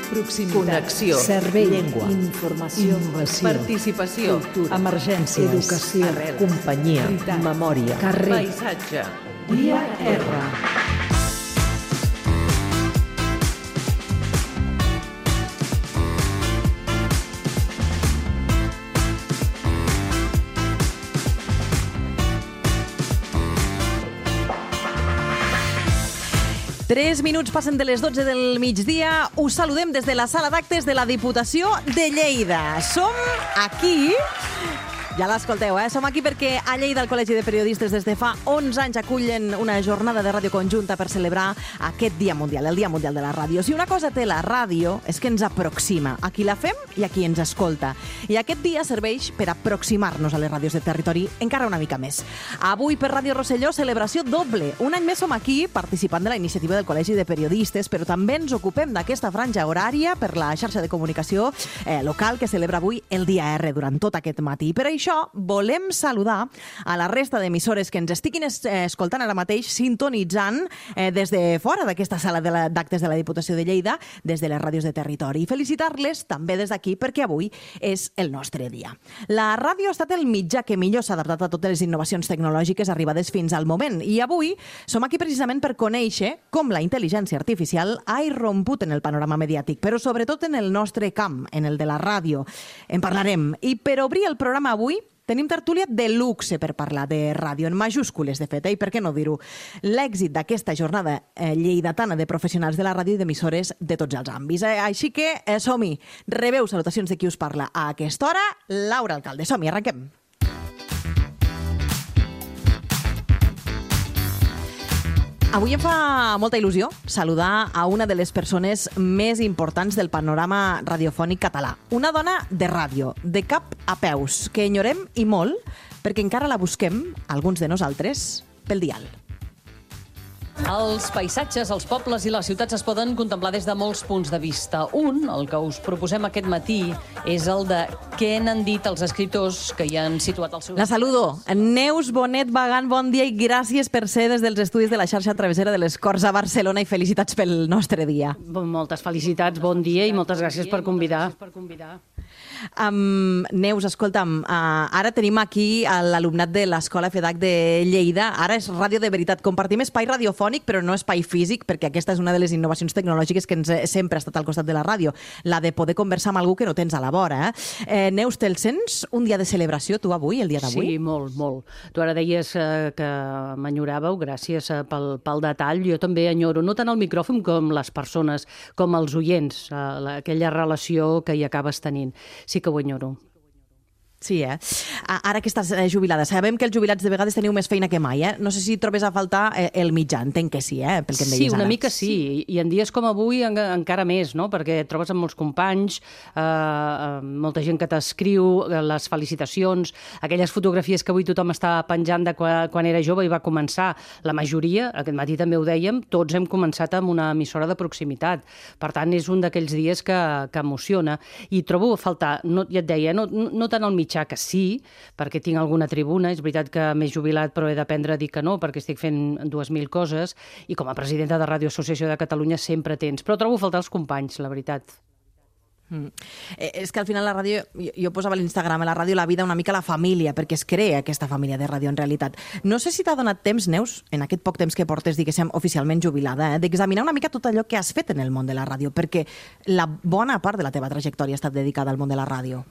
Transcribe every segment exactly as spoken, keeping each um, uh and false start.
proximitat, connexió, servei, llengua, informació, innovació, participació, cultura, emergències, educació, arrels, companyia, veritat, memòria, carrer, paisatge, dia R. Tres minuts passen de les dotze del migdia. Us saludem des de la sala d'actes de la Diputació de Lleida. Som aquí... Ja l'escolteu, eh? Som aquí perquè a Lleida el Col·legi de Periodistes des de fa onze anys acullen una jornada de ràdio conjunta per celebrar aquest Dia Mundial, el Dia Mundial de la Ràdio. Si una cosa té la ràdio és que ens aproxima a qui la fem i a qui ens escolta. I aquest dia serveix per aproximar-nos a les ràdios de territori encara una mica més. Avui per Ràdio Rosselló, celebració doble. Un any més som aquí participant de la iniciativa del Col·legi de Periodistes, però també ens ocupem d'aquesta franja horària per la xarxa de comunicació eh, local que celebra avui el Dia R durant tot aquest matí. Per això volem saludar a la resta d'emissores que ens estiguin es escoltant ara mateix, sintonitzant eh, des de fora d'aquesta sala d'actes de, de la Diputació de Lleida, des de les ràdios de territori. I felicitar-les també des d'aquí perquè avui és el nostre dia. La ràdio ha estat el mitjà que millor s'ha adaptat a totes les innovacions tecnològiques arribades fins al moment. I avui som aquí precisament per conèixer com la intel·ligència artificial ha irromput en el panorama mediàtic, però sobretot en el nostre camp, en el de la ràdio. En parlarem. I per obrir el programa avui tenim tertúlia de luxe per parlar de ràdio, en majúscules, de fet, eh? I per què no dir-ho? L'èxit d'aquesta jornada eh, lleidatana de professionals de la ràdio i d'emissores de tots els àmbits. Eh? Així que eh, som-hi. Rebeu salutacions de qui us parla a aquesta hora, Laura Alcalde. Som-hi, arrenquem. Avui em fa molta il·lusió saludar a una de les persones més importants del panorama radiofònic català. Una dona de ràdio, de cap a peus, que enyorem i molt perquè encara la busquem, alguns de nosaltres, pel dial. Els paisatges, els pobles i les ciutats es poden contemplar des de molts punts de vista. Un, el que us proposem aquest matí, és el de què n'han dit els escriptors que hi han situat el seu... La saludo. Neus Bonet Bagant, bon dia i gràcies per ser des dels estudis de la xarxa travessera de les Corts a Barcelona i felicitats pel nostre dia. Moltes felicitats, bon dia i moltes gràcies per convidar. Um, Neus, escolta'm, uh, ara tenim aquí l'alumnat de l'Escola F D A C de Lleida. Ara és Ràdio de Veritat. Compartim espai radiofònic, però no espai físic, perquè aquesta és una de les innovacions tecnològiques que ens, sempre ha estat al costat de la ràdio, la de poder conversar amb algú que no tens a la vora. Eh? Eh, Neus, te'l sents un dia de celebració, tu avui, el dia d'avui? Sí, molt, molt. Tu ara deies eh, que m'enyoràveu, gràcies eh, pel, pel detall. Jo també enyoro, no tant el micròfon com les persones, com els oients, eh, la, aquella relació que hi acabes tenint. Sí que ho enyoro. Sí, eh? Ara que estàs jubilada, sabem que els jubilats de vegades teniu més feina que mai, eh? No sé si trobes a faltar el mitjà, entenc que sí, eh? Pel que em deies sí, una ara. mica sí. sí, i en dies com avui en, encara més, no? Perquè et trobes amb molts companys, eh, molta gent que t'escriu, les felicitacions, aquelles fotografies que avui tothom està penjant de quan, quan era jove i va començar. La majoria, aquest matí també ho dèiem, tots hem començat amb una emissora de proximitat. Per tant, és un d'aquells dies que, que emociona. I trobo a faltar, no, ja et deia, no, no tant el mitjà, que sí, perquè tinc alguna tribuna, és veritat que m'he jubilat però he d'aprendre a dir que no, perquè estic fent dues mil coses, i com a presidenta de Ràdio Associació de Catalunya sempre tens, però trobo a faltar els companys, la veritat. Mm. Eh, és que al final la ràdio, jo, jo posava a l'Instagram, a la ràdio la vida una mica la família, perquè es crea aquesta família de ràdio en realitat. No sé si t'ha donat temps, Neus, en aquest poc temps que portes, diguéssim, oficialment jubilada, eh, d'examinar una mica tot allò que has fet en el món de la ràdio, perquè la bona part de la teva trajectòria ha estat dedicada al món de la ràdio.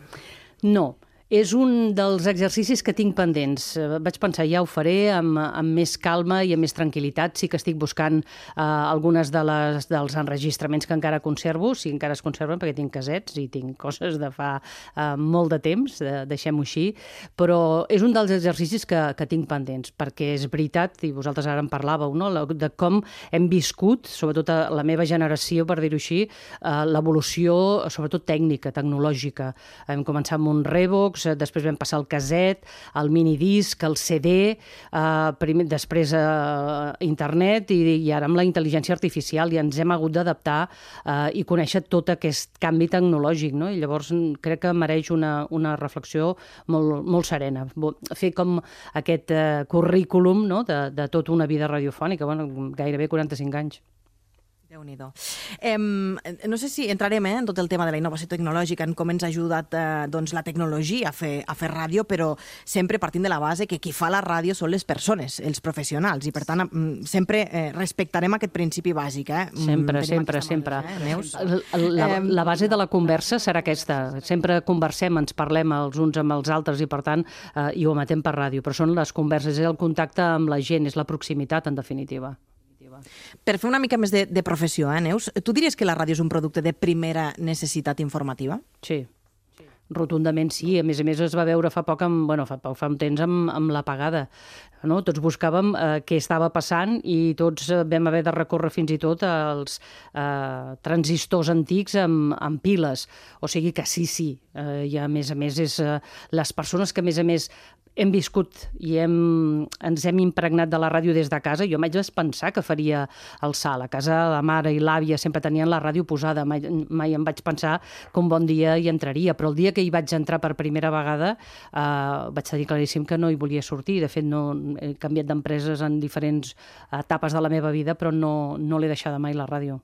No. És un dels exercicis que tinc pendents. Vaig pensar, ja ho faré amb, amb més calma i amb més tranquil·litat. Sí que estic buscant uh, algunes de les, dels enregistraments que encara conservo, si encara es conserven, perquè tinc casets i tinc coses de fa uh, molt de temps, de, deixem-ho així, però és un dels exercicis que, que tinc pendents, perquè és veritat, i vosaltres ara en parlàveu, no? De com hem viscut, sobretot a la meva generació, per dir-ho així, uh, l'evolució, sobretot tècnica, tecnològica. Hem començat amb un Revox, després vam passar el caset, el minidisc, el C D, eh, primer, després eh, internet i, i ara amb la intel·ligència artificial, i ens hem hagut d'adaptar eh, i conèixer tot aquest canvi tecnològic, no? I llavors crec que mereix una, una reflexió molt, molt serena. Fer com aquest eh, currículum, no? de, de tota una vida radiofònica, bueno, gairebé quaranta-cinc anys. Déu-n'hi-do. Eh, no sé si entrarem eh, en tot el tema de la innovació tecnològica, en com ens ha ajudat eh, doncs, la tecnologia a fer, a fer ràdio, però sempre partint de la base que qui fa la ràdio són les persones, els professionals, i per tant sempre eh, respectarem aquest principi bàsic. Eh? Sempre, Tenim sempre, aquesta sempre. Madre, eh, Neus? La, la, la base de la conversa serà aquesta. Sempre conversem, ens parlem els uns amb els altres i, per tant, eh, i ho emetem per ràdio. Però són les converses, és el contacte amb la gent, és la proximitat, en definitiva. Per fer una mica més de, de professió, eh, Neus, tu diries que la ràdio és un producte de primera necessitat informativa? Sí, rotundament sí. A més a més es va veure fa poc, amb, bueno, fa, poc, fa un temps amb, amb l'apagada. No? Tots buscàvem eh, què estava passant i tots eh, vam haver de recórrer fins i tot als eh, transistors antics amb, amb piles. O sigui que sí, sí. Eh, I a més a més és eh, les persones que a més a més hem viscut i hem, ens hem impregnat de la ràdio des de casa. Jo mai vaig pensar que faria el salt. A casa la mare i l'àvia sempre tenien la ràdio posada. Mai, mai em vaig pensar que un bon dia hi entraria. Però el dia que hi vaig entrar per primera vegada eh, vaig tenir claríssim que no hi volia sortir. De fet, no, he canviat d'empreses en diferents etapes de la meva vida, però no, no l'he deixada mai la ràdio.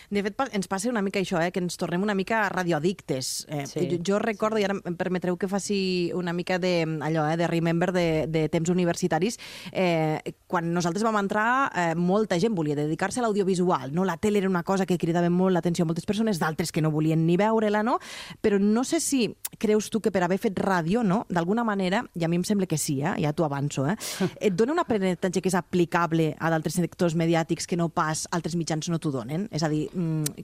De fet, ens passa una mica això, eh, que ens tornem una mica radioaddictes. Eh, Sí. jo, jo recordo, i ara em permetreu que faci una mica de, allò, eh, de remember de, de temps universitaris, eh, quan nosaltres vam entrar, eh, molta gent volia dedicar-se a l'audiovisual, no? La tele era una cosa que cridava molt l'atenció a moltes persones, d'altres que no volien ni veure-la, no? Però no sé si creus tu que per haver fet ràdio, no?, d'alguna manera, i a mi em sembla que sí, eh, ja t'ho avanço, eh, et dona un aprenentatge que és aplicable a d'altres sectors mediàtics que no pas altres mitjans no t'ho donen? És a dir,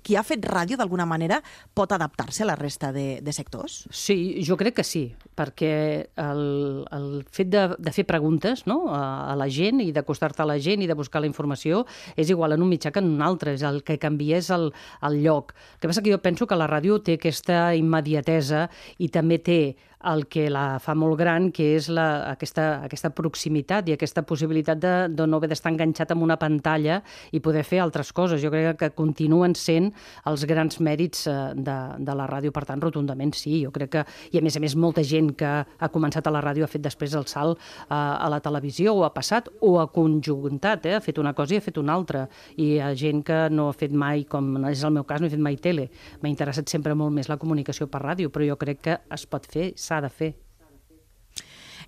qui ha fet ràdio d'alguna manera pot adaptar-se a la resta de, de sectors? Sí, jo crec que sí, perquè el, el fet de, de fer preguntes, no?, a, a la gent i d'acostar-te a la gent i de buscar la informació és igual en un mitjà que en un altre, és el que canvia és el, el lloc. El que passa que jo penso que la ràdio té aquesta immediatesa i també té el que la fa molt gran, que és la, aquesta, aquesta proximitat i aquesta possibilitat de, de no haver d'estar enganxat amb una pantalla i poder fer altres coses. Jo crec que continuen sent els grans mèrits de, de la ràdio, per tant, rotundament sí. Jo crec que, i a més a més, molta gent que ha començat a la ràdio ha fet després el salt a, a la televisió, o ha passat, o ha conjuntat, eh? Ha fet una cosa i ha fet una altra. I hi ha gent que no ha fet mai, com és el meu cas, no he fet mai tele. M'ha interessat sempre molt més la comunicació per ràdio, però jo crec que es pot fer, s'ha de fer.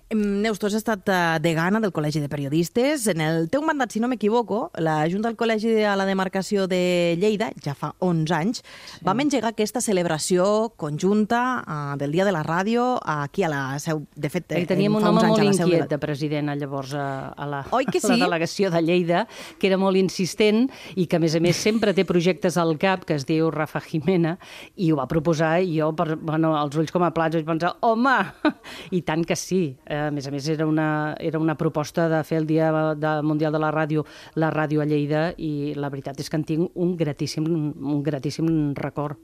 Neus, tu has estat degana del Col·legi de Periodistes. En el teu mandat, si no m'equivoco, la Junta del Col·legi a la demarcació de Lleida, ja fa onze anys, sí. vam engegar aquesta celebració conjunta uh, del Dia de la Ràdio aquí a la seu. De fet, I teníem un home molt inquiet de president llavors a, a, la, Oi que sí? a la delegació de Lleida, que era molt insistent i que, a més a més, sempre té projectes al cap, que es diu Rafa Jimena, i ho va proposar, i jo, per, bueno, els ulls com a plats, vaig pensar, home, i tant que sí. A més a més, era una, era una proposta de fer el Dia de Mundial de la Ràdio, la ràdio a Lleida, i la veritat és que en tinc un gratíssim, un gratíssim record.